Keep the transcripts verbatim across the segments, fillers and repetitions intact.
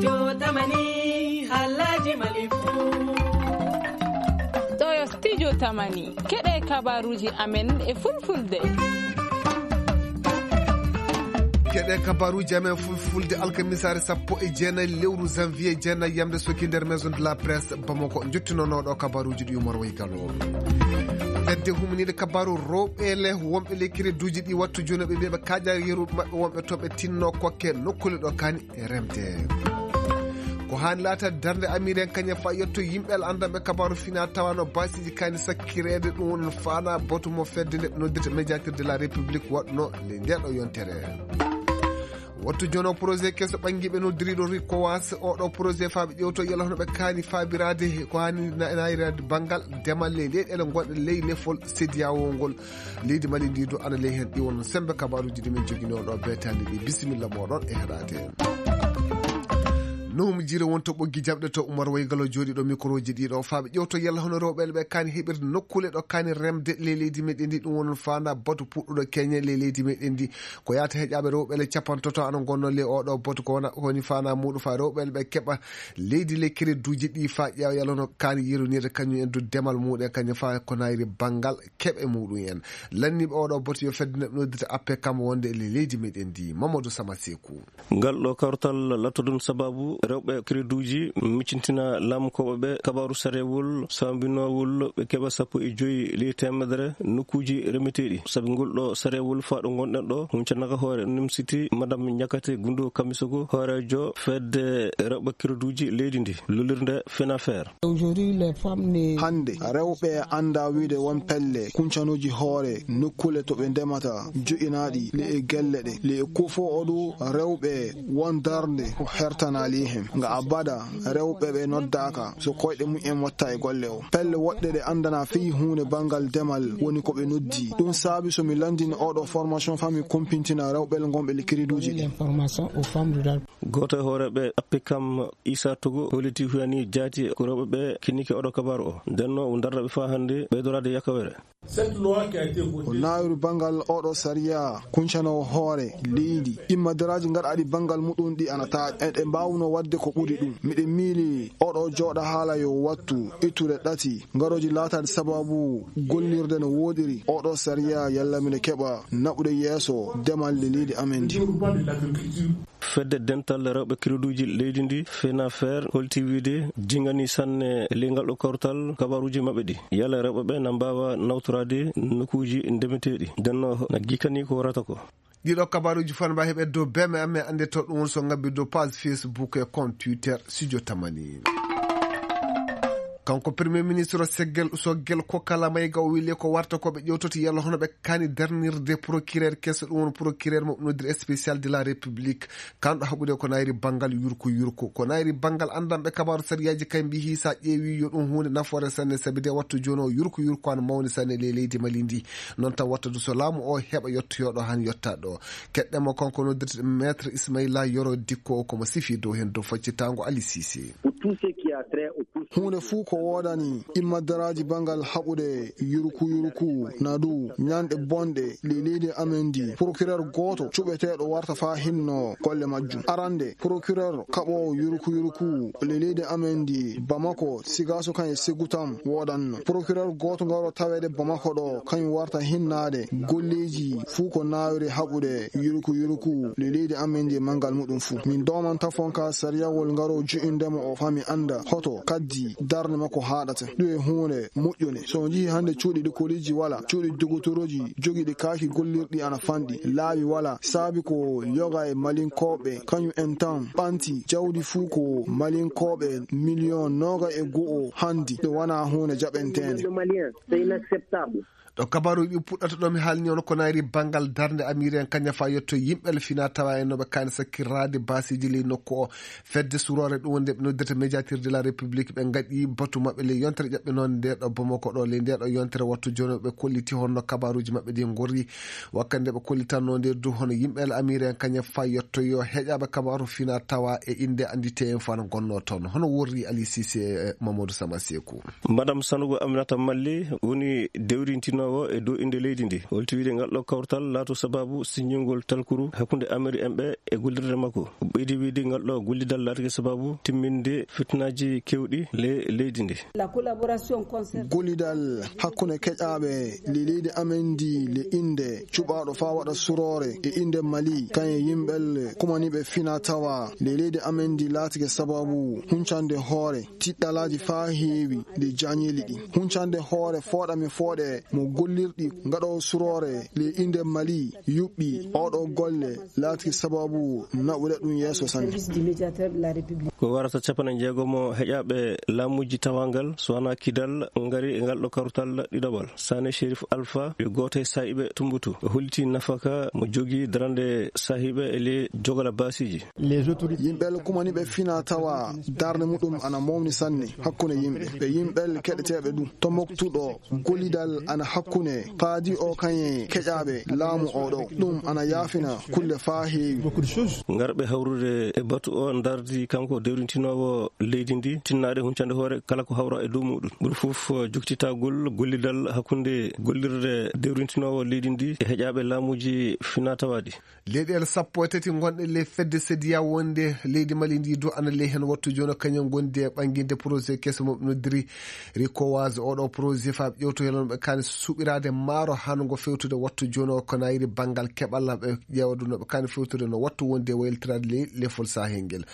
Jotamani, Alhaji Malifu. Ɗo yo Studio Tamani. Keɗe kabaruji amen e fulfulde. Keɗe kabaruji amen fulfulde alkamisaare sappo e jeenayi lewru janvier jeenayi yamde soki nder Maison de la Presse Bamako. Njottinonoɗo kabaruji ɗi Umar Waygalo. Fedde humniiɗe kabaru rewɓe le wonɓe le crédit uji ɗi wattu jooni ɓe mbiya ɓe kaaja yeru maɓɓe wonɓe to ɓe tinno kokke nokkule ɗo kani e remde. Ko haani laata darnde amiren kañum fa yetto yimɓe ala anndanɓe kabaru fina tawa no basiji kani sakkireede ɗum woni faana batu mo fedde nde noddirta médiateur de la République waɗno le nde ɗo yontere. Wattu jono projet keso ɓangiɓe noddiriɗo rikowas oɗo projet faaɓe ƴewto yala hono ɓe kaani faabiraade ko haani na- nayrade banngal demal ley leyɗele gonɗe ley lefol sediyawo ngol. Leydi Mali ndi du ana ley heen ɗi won sembe kabaruji ɗi min jogino ɗo beetandi ɗi. Bisimilla moɗon e heɗade. Nuhum jire wonto ɓoggi jaɓɗe to Umar Waygalo jooɗiɗo microji ɗiɗo faaɓe ƴewto yalla hono rewɓe ɓe kaani heɓirde nokkule ɗo kaani remde ley leydi meɗen ndi ɗum wonon faanda batu puɗɗuɗo keñe ley leydi meɗen ndi. Ko yaata heƴaɓe rewɓe le capantoto ana gonno ley oɗo batu ko wona woni faanda muɗum fa rewɓe ɓe keɓa leydi le crédit uji ɗi fa ƴeewa yalla hono kaani yeronirde kañum en du demal muɗum e kañum fa ko nayri banngal keɓe muɗum en. Lanniɓe oɗo batu yo fedde neɗɗo noddita appe kam wonde le leydi meɗen ndi. Mamadou Sama Sekou. Ngal ɗo kawtal lattodun sababu rewɓe crédit uji miccintina laamu koɓe ɓe kabaru sarewol sambinowol ɓe keɓa sappo e joyi ley temedere nokkuji remeteɗi. Sabi ngol ɗo sarewol fa ɗo gonɗen ɗo huncanaka hoore nimsiti madame Ñakate Gundu Kamisogo hoorejo fedde rewɓe crédit uji leydi ndi lolirde Fenafer. Hannde rewɓe annda wiide won pelle kuncanooji hoore nokkule to ɓe ndemata joƴinaaɗi le e gelle ɗe le e kofo oɗo rewɓe won darnde ko hertanaali heen nga abada. Rewɓe ɓe noddaaka so koyɗe mumen watta e golle o pelle woɗɗe ɗe anndana fii huunde banngal demal woni ko ɓe noddi. Ɗum saabi so mi lanndini oɗo formation fami kumpintina rewɓe le ngonɓe le crédit uji ɗi. Gooto e hooreeɓe appikam Isa Togo holiti huyani jaati ko rewɓe ɓe kinnike oɗo kabaru o. Ndenno o darra ɓe faa hannde ɓeydoraade yakawere. O naawiri banngal oɗo sariya kuncanowo hoore leydi. Immadaraaji ngarɗaaɗi banngal muɗum ɗi ana taaƴa. Eɗe mbaawno waɗde ko ɓuri ɗum. Miɗe miili oɗo jooɗa haala yo wattu ittude ɗati ngarooji laataade sababu gollirde no wooɗiri. Oɗo sariya yalla miɗe keɓa naɓude yeeso demal le leydi amen ndi. Fedde dental rewɓe crédit uji leydi ndi Fenafer holti wiide jingani sanne ley ngal ɗo kawtal kabaruji maɓɓe ɗi yala rewɓe ɓe na mbaawa nawtoraade nokkuuji ndemeteeɗi ndenno na gikani ko warata ko. Ɗiɗo kabaruji fana mbawi heɓe dow beme amen annde to ɗum woni so ngabbi dow page Facebook e compte Twitter Studio Tamani. Kanko premier ministre o seggel usogel ko kala mayga o wili ko warta ko ɓe ƴewtoto yalla hono ɓe kani darnirde procureur keso ɗum woni procureur mo noddir spécial de la république. Kanɗo haɓude ko nayri banngal yurko yurko ko nayri banngal anndanɓe kabaru sariyaji kay mbihi sa ƴeewi yo ɗum hunde nafoore sanne sabi de wattu joni o yurko yurko an mawni sanne ley leydi mali ndi. Noon taw watta du so laamu o heɓa yettoyoɗo han yetta ɗo. Keɗɗemo kanko noddirte maître ismaila yoro dikko o komo sifi dow hen dow faccitango ali sise. Huunde fuu ko woodani immadaraaji banngal haɓude yurku yurku na du ñanɗe bonɗe ley leydi amen ndi procureur gooto cuɓeteeɗo warta faa hinno golle majjum. Arande procureur kaɓoowo yurku yurku ley leydi amen ndi Bamako Sigaso kan e Segutam woodanno procureur gooto ngaro taweede Bamako ɗo kañum warta hinnaade golleeji fuu ko naawiri haɓude yurku yurku ley leydi amen ndi e manngal muɗum fuu. Min doomanta fonka sariyawol ngaro ju'indema o fami annda hoto kaddi darnde makko haaɗata. Ɗum e huunde moƴƴunde. So on njihii hannde cuuɗi likoliiji wala, cuuɗi dogotoroji jogiiɗi kaaki gollirɗi ana fanɗi, laawi wala, saabi ko yoga e malinkooɓe, kañum en tan ɓanti jawdi fuu ko malinkooɓe miliyon nooga e go'o hanndi, ɗum wanaa huunde jaɓenteende. Ɗo kabaruuji ɗi puɗɗata ɗo mi haalni on ko nayri banngal darnde amiren kaña fa yetto yimɓe le fina tawa en noɓe kaani sakkirraade baasiiji ley nokku o. Fedde suroore ɗum wonde ɓe noddata médiateur de la république ɓe ngaɗi batu maɓɓe ley yontere ƴaɓɓe noon nde ɗo Bamako ɗo ley nde ɗo yontere wattu jono ɓe kolliti honno kabaruuji maɓɓe ɗi ngorri. Wakkande ɓe kollitanno nde du hono yimɓe le amiren kaña fa yetto yo heƴaɓe kabaru fina tawa e innde anndite en fa no gonno toon hono worri Ali Cissé e Mamadou Sama Sekou. Madame Sanogo Aminata Malli woni dewrintino O e dow innde leydi ndi, holti wiide ngal ɗo kawtal laato sababu siññingol talkuru hakkunde Ameri en ɓe e gollirde makko. Ɓeydi wiide ngal ɗo gollidal laatake sababu timminde fitinaaji kewɗi le leydi ndi. Gollidal hakkunde keƴaaɓe le leydi amen ndi le innde cuɓaaɗo faa waɗa suroore e innde Mali, kañe yimɓel kumaniiɓe fina tawa le leydi amen ndi laatake sababu huncande hoore tiɗɗalaaji faa heewi le jañeeli ɗi. Huncande hoore fooɗa mi fooɗe mo gollirɗi ngaɗo suroore le innde Mali yuɓɓi oɗo golle laatake sababu naɓude ɗum yeeso sanne. Ko warata capanɗe jeegomo heƴaaɓe laamuuji tawangal so wanaa kidal ngari e ngal ɗo kartal ɗiɗaɓal. Sane Sherif Alpha, yo gooto e saahiiɓe Tumbutu, o holliti nafaka mo jogii darande saahiiɓe e le jogala baasiiji. Yimɓe kumaniiɓe fina tawa darnde muɗum ana mawni sanne hakkunde yimɓe. Ɓe yimɓe keɗeteeɓe ɗum. Tombuktu ɗo gollidal ana hakkunde paadi o kañe keƴaaɓe laamu o ɗo. Ɗum ana yaafina kulle faa heewi. Ngarɓe hawrude e batu o ndardi kanko dewrintinoowo leydi ndi, tinnaade huncande hoore kala ko hawra e dow muɗum. Ɓuri fof joktitagol gollidal hakkunde gollirde dewrintinoowo leydi ndi e heƴaaɓe laamuuji finaa tawaaɗi. Leyɗeele sappo e tati gonɗe le fedde sediya wonde leydi Mali ndi du ana ley heen wattu jooni o kañum gondi e ɓannginde projet keso mo ɓe noddiri Rikowas. Oɗo projet faa ɓe ƴewto helon ɓe kaani suɓiraade maaro haa ngo fewtude wattu jooni o ko nayri banngal keɓal ɓe ƴeewa du no ɓe kaani fewtude no wattu wonde e waylitiraade ley lefol sahel ngel.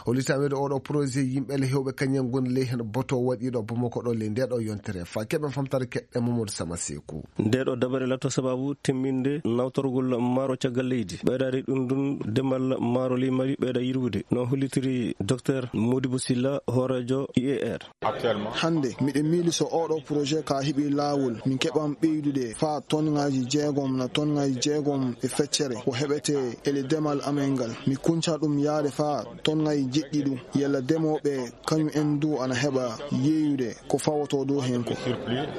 Hollitaweede oɗo projet yimɓe le hewɓe kañum gondi ley heen boto waɗiiɗo Bamako ɗo ley nde ɗo yontere fa keɓen famtare keɗɗe Mamadou Sama Seku. Nde ɗo dabare latto sababu timminde nawtorgol maaro caggal leydi. Ɓeydaade ɗum ɗum demal maaro ley Mali ɓeyda yirwude. No hollitiri Docteur Modibo Silla, hooreejo I E R. Hannde miɗo miili so oɗo projet ka heɓi laawol, min keɓan ɓeydude faa tonŋaaji jeegom na tonŋaaji jeegom e feccere ko heɓete e le demal amen ngal. Mi kunca ɗum yaade faa tonŋaaji jeɗɗi ɗum. Yalla demooɓe kañum en du ana heɓa yeeyude ko fawotoo dow heen ko.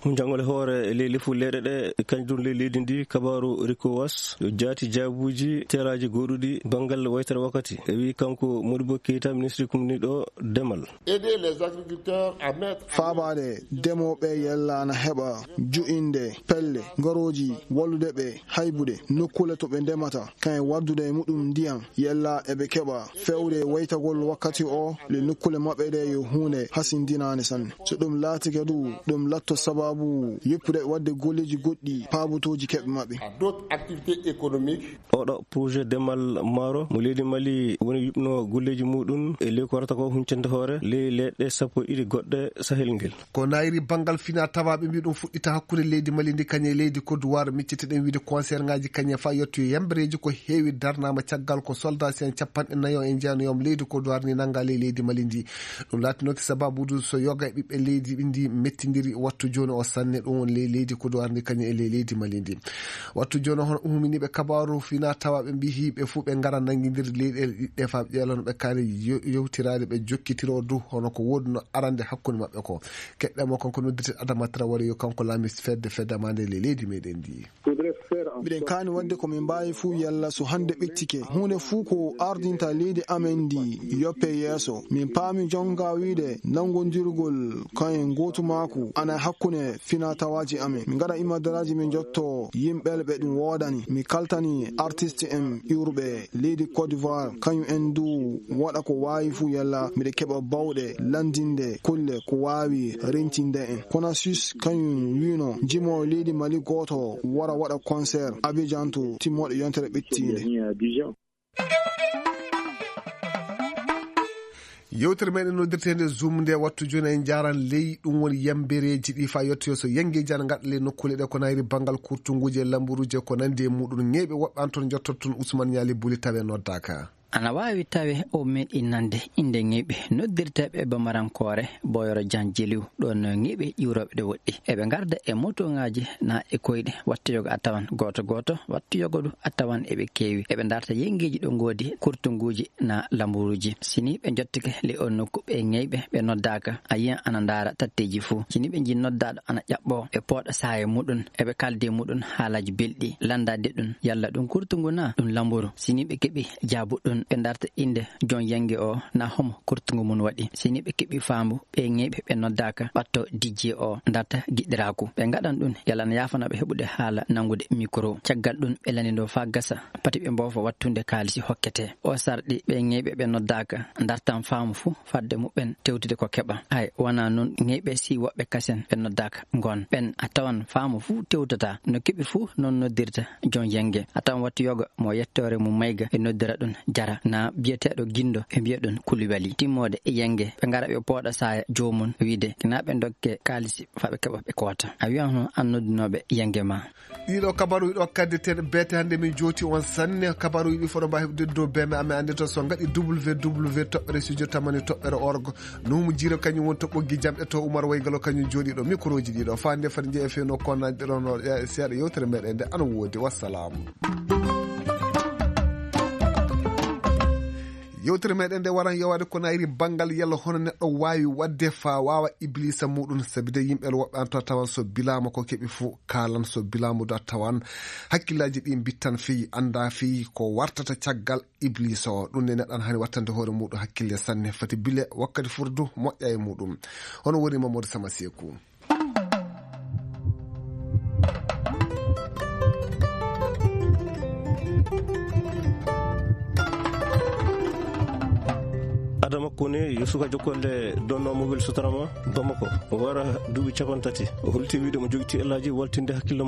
Hunjangol e hoore ley lefu leyɗe ɗe kañum ley leydi ndi kabaaru Rikowas yo jaati jaabuuji teraaji gooɗuɗi banngal waytere wakkati. E wii kanko Modibo Keita, ministre kumniiɗo demal. Aider les agriculteurs à mettre Faabaade demooɓe yalla ana heɓa ju'inde pelle, ngarooji, wallude ɓe haybude nokkuule to ɓe ndemata, kañum waddude e muɗum ndiyam, yalla eɓe keɓa feewde waytagol wakkati o le nokkuule maɓɓe ɗe yo huunde hasindinaande sanne. So ɗum laatike du, ɗum latto sababu yoppude waɗde golleeji goɗɗi paabotooji keɓe maɓɓe. D'autres activités économiques. Oɗo projet demal maaro mo leydi Mali woni yuɓno golleeji muɗum e ley ko warata ko huncande hoore ley leɗɗe sappo e ɗiɗi goɗɗe sahel ngel. Ko nayri banngal fina tawaaɓe mbi ɗum fuɗɗita hakkunde leydi Mali ndi kañe leydi Côte d'Ivoire, miccite ɗen wiide concert ngaji kañe fa yettoyo yambereeji ko heewi darnaama caggal ko soldat en capanɗe nayo e jeenayo leydi Côte d'Ivoire ni nannga ley leydi Mali ndi. Ɗum laatinooki sababuudu so yoga e ɓiɓɓe leydi ndi mettindiri wattu jooni o sanne ɗum woni ley leydi Côte d'Ivoire ndi kañe e ley leydi Mali ndi. Wattu jooni o hono uminiiɓe kabaaru fina tawaaɓe mbi hiiɓe fuu ɓe ngara nanngindir leyɗeele ɗiɗɗe fa ɓe ƴeelano ɓe kaani yewtiraade ɓe jokkitiro du hono ko woodunoo arande hakkunde maɓɓe ko. Keɗɗe mo kanko noddirte Adama Traoré yo kanko laami fedde fedde ma nde le leydi meɗen ndi. Miɗen kaani waɗde ko min mbaawi fuu yalla so hannde ɓettike huunde fuu ko ardinta leydi amen ndi yoppe yeeso. Min paami jonga wiide nanngondirgol kayen gootumaaku ana hakkunde fina tawaaji amen. Min ngaɗa imadaraaji min njotto yimɓe ɓe ɗum woodani. Mi kaltani artiste en iwruɓe leydi Côte d'Ivoire, kañum en du waɗa ko waawi fuu yalla miɗo keɓa bawɗe lanndinde kulle ko waawi rentinde en. Konasis kañum wiino jimoowo leydi Mali gooto wara waɗa concert Abidjan to timmooɗe yontere ɓettiinde. Yewtere meɗen noddirteende Zoom nde wattu jooni en njaaran ley ɗum woni yambereeji ɗi fa yettoyo so yangeeji ana ngaɗa ley nokkuule ɗe ko nayri banngal kurtunguuji e lamburuuji e ko nanndi e muɗum. Ŋeeɓe woɓɓe an toon njottoto toon Ousmane Ñaali Buli tawe noddaaka. Ana waawi tawe o meeɗi nande innde ŋeeɓe noddirteeɓe e bamarankoore Boyoro Jan Jeliw ɗoon ŋeeɓe ƴiwrooɓe ɗe woɗɗi. Eɓe ngarda e motoŋaaji na e koyɗe. Wattu yoga a tawan gooto gooto, wattu yoga du a tawan eɓe keewi. Eɓe ndarta yenngeeji ɗo ngoodi kurtunguuji na lamburuuji. Si ni ɓe njottike le on nokku ɓe ŋeeɓe ɓe noddaaka, a yiyan ana ndaara tatteeji fuu. Si ni ɓe njii noddaaɗo ana ƴaɓɓoo ɓe pooɗa saaye muɗum, eɓe kaaldi e muɗum haalaaji belɗi, lanndaade ɗum yalla ɗum kurtungu na ɗum lamburu. Si ni ɓe keɓi jaabu ɗum, ɓe ndarta innde joom yenge o, na homo kurtungu mum waɗi. Si ni ɓe keɓi faambu, ɓe ŋeyɓe ɓe noddaaka ɓatto D J o ndarta giɗiraaku. Ɓe ngaɗan ɗum, yalla na yaafana ɓe heɓude haala nanngude mikro. Caggal ɗum, ɓe lanndindoo faa gasa, pati ɓe mboofa wattunde kaalisi hokkete. O sarɗi ɓe ŋeyɓe ɓe noddaaka ndartan faamu fuu fadde muɓɓen tewtude ko keɓa. Hay, wonaa noon ŋeyɓe si woɓɓe kasen ɓe noddaaka ngon. Ɓen a tawan faamu fuu tewtata, no keɓi fuu noon noddirta joom yenge. A tawan wattu yoga mo yettoore mum mayga e noddira ɗum jara, na biyeteeɗo gindo ɓe mbiya ɗum kulibali. Timmoode e yenge, ɓe ngara ɓe pooɗa saaya joomum wiide, na ɓe ndokke kaalisi faa ɓe keɓa ɓe koota. A wiyan hono an noddunooɓe yenge ma. Ɗiɗo kabaruuji ɗo kaddeteeɗe beete hannde min jooti on sanne. Kabaruuji ɗi foɗo mba heɓde dow beme amen annde to so ngaɗi W W W toɓɓere studio tamani toɓɓere org. Nuumu Jiire kañum woni to ɓoggi jamɗe to Umar Waygalo kañum jooɗi ɗo. Mikrooji ɗi ɗo faa nde fati jeeya fewno konnaaji ɗe ɗon no seeɗa yewtere meɗen nde ana woodi. Wassalaamu. Yewtere meɗen nde waran yowaade ko nayri banngal yalla hono neɗɗo waawi waɗde faa waawa iblisa muɗum, sabi de yimɓe woɓɓe an to tawan so bilaama ko keɓi fuu kaalan, so bilaama da tawan hakkillaaji ɗi mbittan fii, annda fii ko wartata caggal iblisa o. Ɗum ne neɗɗo an hani wattande hoore muɗum hakkille sanne, fati bile wakkati furdu moƴƴa e muɗum. Hono woni Mamadou Sama Seeku. Adama Kone yo suka jokkonde donno mobile sutarama Bamako. O wara duuɓi capanɗe tati. O holti wiide mo jogiti ellaaji waltinde hakkille mo.